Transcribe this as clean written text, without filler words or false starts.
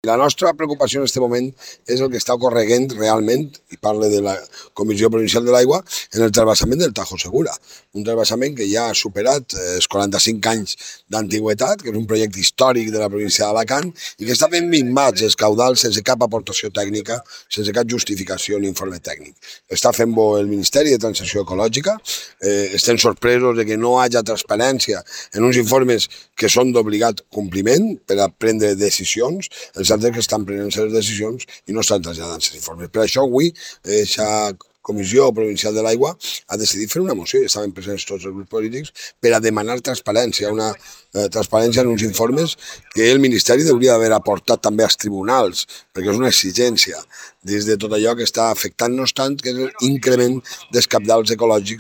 La nostra preocupació en aquest moment és el que està ocorreguent realment, i parle de la Comissió Provincial de l'Aigua, en el transvasament del Tajo Segura. Un transvasament que ja ha superat els 45 anys d'antigüetat, que és un projecte històric de la província d'Alacant i que està fent minvats els caudals sense cap aportació tècnica, sense cap justificació ni informe tècnic. Està fent-ho el Ministeri de Transició Ecològica, estem sorpresos de que no hi hagi transparència en uns informes que són d'obligat compliment per a prendre decisions. Els altres que estan prenent les decisions i no estan traslladant els informes. Per això avui la Comissió Provincial de l'Aigua ha decidit fer una moció, i estaven presents tots els grups polítics, per a demanar transparència, una transparència en uns informes que el Ministeri hauria d'haver aportat també als tribunals, perquè és una exigència des de tot allò que està afectant-nos tant, que és l'increment dels cabals ecològics